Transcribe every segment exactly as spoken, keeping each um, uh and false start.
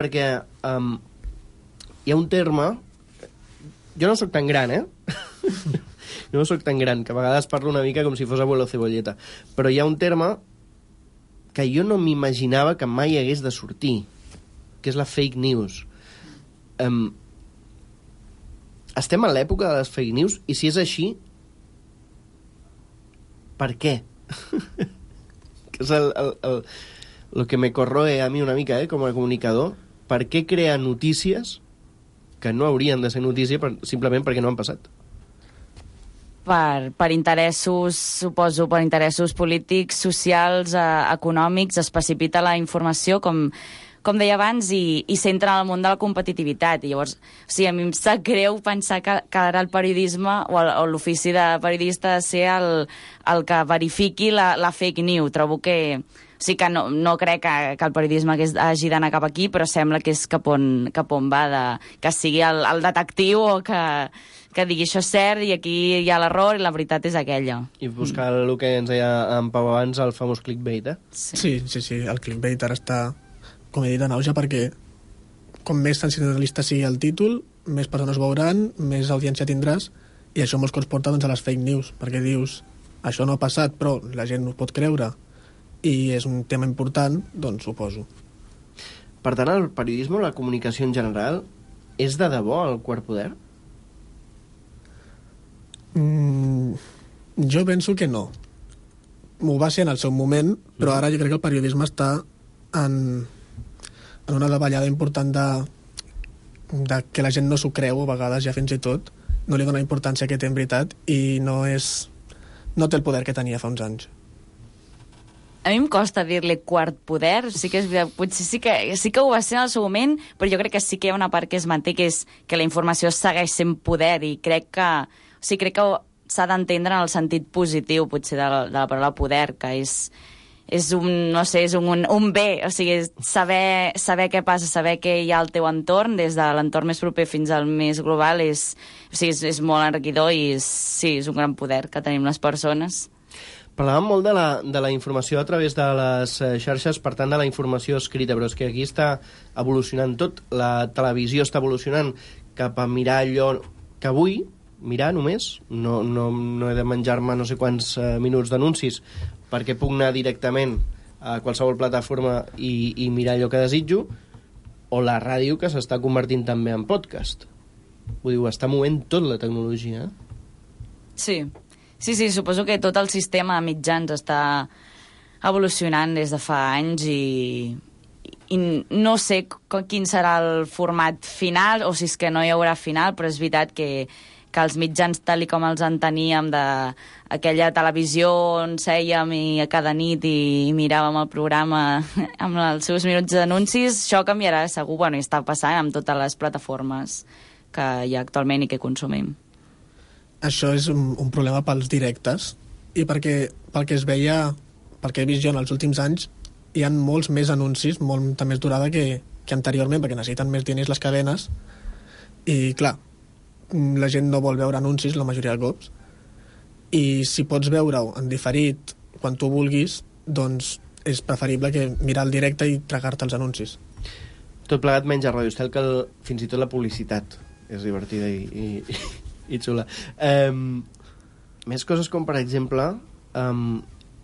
perquè um, hi ha un terme... Jo no sóc tan gran, eh? No sóc tan gran, que a vegades parlo una mica com si fos abuelo cebolleta. Però hi ha un terme que jo no m'imaginava que mai hagués de sortir, que és la fake news. Um, estem a l'època de les fake news, i si és així, per què? Que és el, el, el, el que me corroe a mi una mica, eh, com a comunicador. Per què crear notícies que no haurien de ser notícia per, simplement perquè no han passat? Per, per interessos, suposo, per interessos polítics, socials, eh, econòmics, es precipita la informació, com, com deia abans, i, i s'entra en el món de la competitivitat. I llavors, o sigui, a mi em sap greu pensar que, que ara el periodisme o, el, o l'ofici de periodista ha de ser el, el que verifiqui la, la fake news. Trobo que... O sigui que no, no crec que, que el periodisme hagués, hagi d'anar cap aquí, però sembla que és cap on, cap on va, de, que sigui el, el detectiu o que, que digui això és cert i aquí hi ha l'error i la veritat és aquella. I buscar el que ens deia en Pau abans, el famós clickbait, eh? Sí, sí, sí, sí. El clickbait ara està, com he dit, en auge, perquè com més sensacionalista sigui el títol, més persones veuran, més audiència tindràs, i això molts cops porta doncs, a les fake news, perquè dius, això no ha passat, però la gent no ho pot creure, i és un tema important, doncs suposo. Per tant, el periodisme o la comunicació en general és de debò el quart poder? Mm, jo penso que no. M'ho va ser en el seu moment, però ara jo crec que el periodisme està en, en una davallada important de, de que la gent no s'ho creu, a vegades ja fins i tot, no li dona importància que té en veritat, i no és no té el poder que tenia fa uns anys. A mi em costa dir-li quart poder, sí que és veritat, potser sí que, sí que ho va ser en el seu moment, però jo crec que sí que hi ha una part que es manté, que és que la informació segueix sent poder, i crec que, o sigui, crec que s'ha d'entendre en el sentit positiu, potser, de la, de la paraula poder, que és, és un, no sé, és un, un bé, o sigui, saber, saber què passa, saber què hi ha al teu entorn, des de l'entorn més proper fins al més global, és, o sigui, és, és molt enriquidor i és, sí, és un gran poder que tenim les persones. Parlàvem molt de la, de la informació a través de les xarxes, per tant de la informació escrita, però és que aquí està evolucionant tot. La televisió està evolucionant cap a mirar allò que vull, mirar només, no, no, no he de menjar-me no sé quants uh, minuts d'anuncis perquè puc anar directament a qualsevol plataforma i, i mirar allò que desitjo, o la ràdio, que s'està convertint també en podcast. Vull dir, ho està movent tot la tecnologia. Sí. Sí, sí, suposo que tot el sistema de mitjans està evolucionant des de fa anys i, i no sé quin serà el format final, o si és que no hi haurà final, però és veritat que, que els mitjans tal com els enteníem d'aquella televisió on sèiem i a cada nit i miràvem el programa amb els seus minuts d'anuncis, això canviarà segur, bueno, i està passant amb totes les plataformes que hi ha actualment i que consumim. Això és un, un problema pels directes, i perquè pel que es veia, pel que he vist jo en els últims anys, hi ha molts més anuncis, molta més durada que, que anteriorment, perquè necessiten més diners les cadenes, i clar, la gent no vol veure anuncis la majoria de cops, i si pots veure-ho en diferit quan tu vulguis, doncs és preferible que mirar el directe i tragar-te els anuncis. Tot plegat menys a Ràdio Estel, que el, fins i tot la publicitat és divertida i... i... i xula. Um, més coses com, per exemple, um,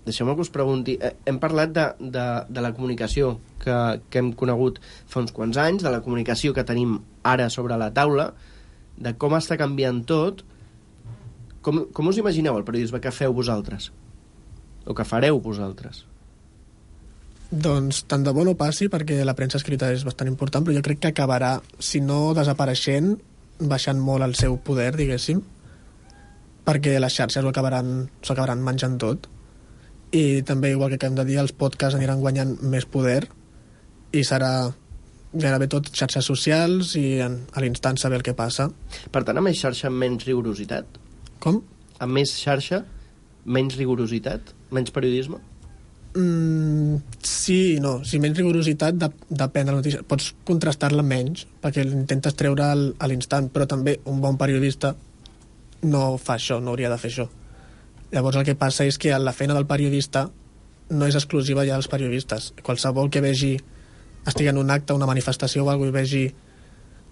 deixeu-me que us pregunti, eh, hem parlat de, de, de la comunicació que, que hem conegut fa uns quants anys, de la comunicació que tenim ara sobre la taula, de com està canviant tot. Com, com us imagineu el periodisme que feu vosaltres? O que fareu vosaltres? Doncs tant de bo no passi, perquè la premsa escrita és bastant important, però jo crec que acabarà, si no desapareixent, baixant molt el seu poder, diguéssim, perquè les xarxes ho acabaran, s'ho acabaran menjant tot, i també, igual que hem de dir, els podcasts aniran guanyant més poder i serà gairebé tot xarxes socials i en, a l'instant saber el que passa. Per tant, amb més xarxa, menys rigorositat? Com? Amb més xarxa, menys rigorositat? Menys periodisme? Mm, sí i no. Si menys rigorositat de, depèn de la notícia. Pots contrastar-la menys, perquè intentes treure al, a l'instant, però també un bon periodista no fa això, no hauria de fer això. Llavors el que passa és que la feina del periodista no és exclusiva ja dels periodistes. Qualsevol que vegi estigui en un acte, una manifestació o alguna cosa i vegi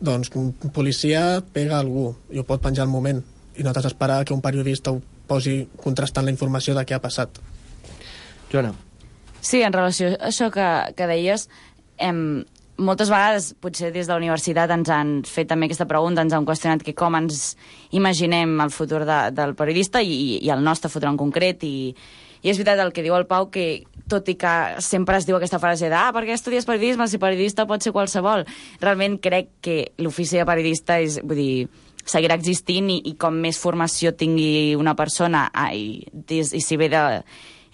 doncs un policia pega algú i ho pot penjar al moment i no t'has d'esperar que un periodista ho posi contrastant la informació de què ha passat. Joana. Sí, en relació a això que, que deies, hem, moltes vegades, potser des de la universitat ens han fet també aquesta pregunta, ens han qüestionat que com ens imaginem el futur de, del periodista i, i el nostre futur en concret, i, i és veritat el que diu el Pau, que tot i que sempre es diu aquesta frase de ah, per què estudies periodisme? Si periodista pot ser qualsevol. Realment crec que l'ofici de periodista és, vull dir, seguirà existint i, i com més formació tingui una persona ah, i, i, i si ve de...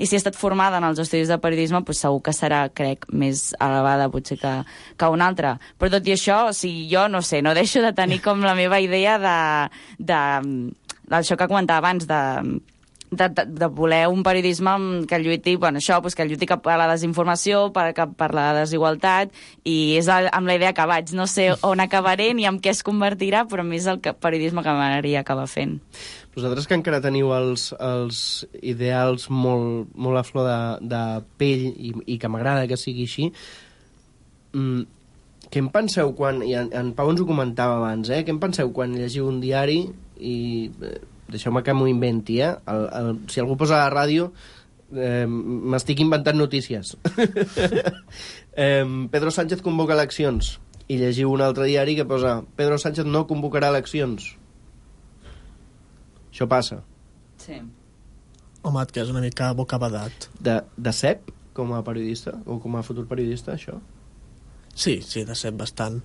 I si ha estat formada en els estudis de periodisme, doncs segur que serà, crec, més elevada potser que, que una altra. Però tot i això, o sigui, jo no sé, no deixo de tenir com la meva idea de, de, d'això que comentava abans, de, de, de, de voler un periodisme que lluiti, bueno, això, doncs que lluiti cap a la desinformació, per, cap per la desigualtat, i és el, amb la idea que vaig. No sé on acabaré ni en què es convertirà, però més el que, periodisme que m'agradaria acabar fent. Vosaltres que encara teniu els, els ideals molt, molt a flor de, de pell i, i que m'agrada que sigui així, mm, què en penseu quan... I en, en Pau ens ho comentava abans, eh? Què en penseu quan llegiu un diari i... Eh, deixeu-me que m'ho inventi, eh? El, el, si algú posa a la ràdio, eh, m'estic inventant notícies. eh, Pedro Sánchez convoca eleccions i llegiu un altre diari que posa Pedro Sánchez no convocarà eleccions. Això passa. Sí. Home, que és una mica bocabadat. De, de cep, com a periodista, o com a futur periodista, això? Sí, sí, de cep bastant.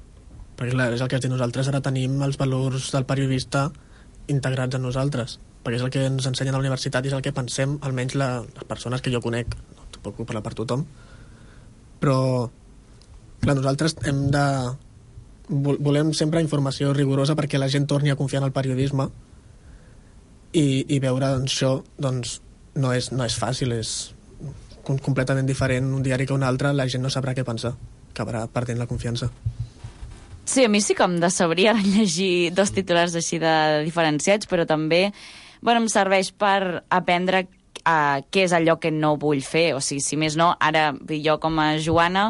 Perquè clar, és el que has dit nosaltres, ara tenim els valors del periodista integrats en nosaltres, perquè és el que ens ensenyen a la universitat i és el que pensem, almenys la, les persones que jo conec, no puc parlar per tothom, però clar, nosaltres hem de... volem sempre informació rigorosa perquè la gent torni a confiar en el periodisme. I, i veure doncs, això doncs, no, és, no és fàcil, és com, completament diferent un diari que un altre, la gent no sabrà què pensar, acabarà perdent la confiança. Sí, a mi sí que em decebria llegir dos titulars així de diferenciats, però també bueno, em serveix per aprendre uh, què és allò que no vull fer, o sigui, si més no, ara jo com a Joana...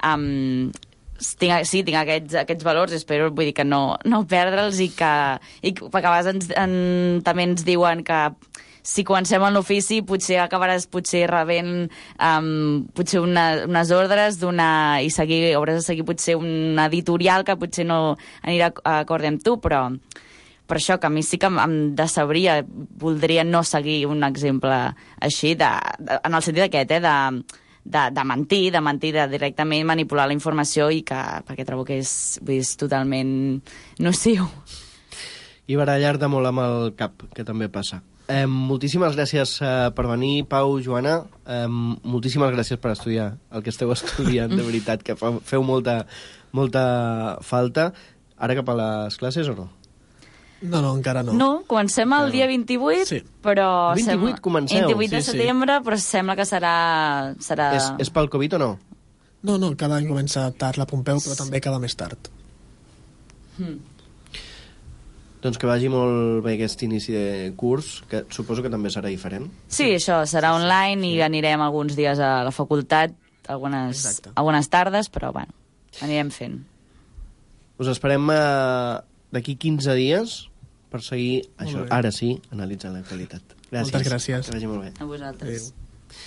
Um, Tinc, sí, tinc aquests, aquests valors, espero vull dir que no, no perdre'ls i que, i que perquè a vegades ens, en, també ens diuen que si comencem en l'ofici potser acabaràs potser rebent um, potser una, unes ordres d'una, i seguir, hauràs de seguir potser una editorial que potser no anirà acord amb tu, però per això que a mi sí que em, em decebria, voldria no seguir un exemple així, de, de, en el sentit aquest, eh, de De, de mentir, de mentir, de directament manipular la informació i que, perquè trobo que és, és totalment nociu. I barallar-te molt amb el cap, que també passa. Eh, moltíssimes gràcies eh, per venir, Pau, Joana. Eh, moltíssimes gràcies per estudiar el que esteu estudiant, de veritat, que fa, feu molta, molta falta. Ara cap a les classes o no? No, no, encara no. No, comencem el dia vint-i-vuit, sí. Però... vint-i-vuit sem... comenceu. vint-i-vuit de sí, setembre, sí. Però sembla que serà... serà... És, és pel Covid o no? No, no, cada any comença tard la Pompeu, però també acaba més tard. Hmm. Doncs que vagi molt bé aquest inici de curs, que suposo que també serà diferent. Sí, això, serà online i anirem alguns dies a la facultat, algunes, algunes tardes, però bueno, anirem fent. Us esperem eh, d'aquí quinze dies per seguir això, ara sí, analitzant l'actualitat. Gràcies. Moltes gràcies. Que vagi molt bé. A vosaltres. Adéu.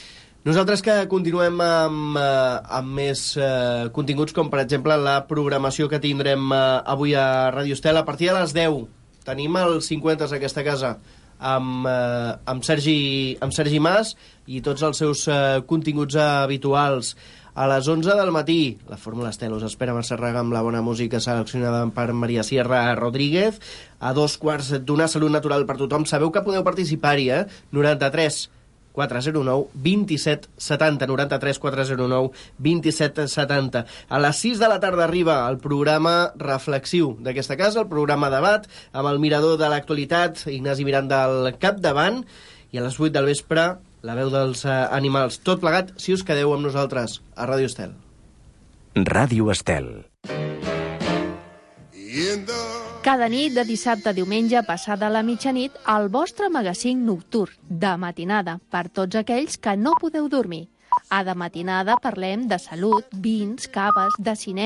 Nosaltres que continuem amb, eh, amb més eh, continguts, com per exemple la programació que tindrem eh, avui a Ràdio Estel. A partir de les deu tenim els cinquanta d'aquesta casa amb, eh, amb, Sergi, amb Sergi Mas i tots els seus eh, continguts habituals. A les onze del matí, la Fórmula Estel us espera a Massarraga amb la bona música seleccionada per Maria Sierra Rodríguez. A dos quarts d'una, Salut Natural per tothom. Sabeu que podeu participar-hi, eh? noranta-tres quatre zero nou vint-i-set setanta, noranta-tres quatre zero nou vint-i-set setanta. A les sis de la tarda arriba el programa reflexiu d'aquesta casa, el programa debat, amb el mirador de l'actualitat, Ignasi Miranda al capdavant, i a les vuit del vespre la veu dels eh, animals. Tot plegat, si us quedeu amb nosaltres, a Ràdio Estel. Ràdio Estel. Cada nit de dissabte a diumenge passada la mitjanit, el vostre magazín nocturn de matinada per tots aquells que no podeu dormir. A De Matinada parlem de salut, vins, caves, de cinema,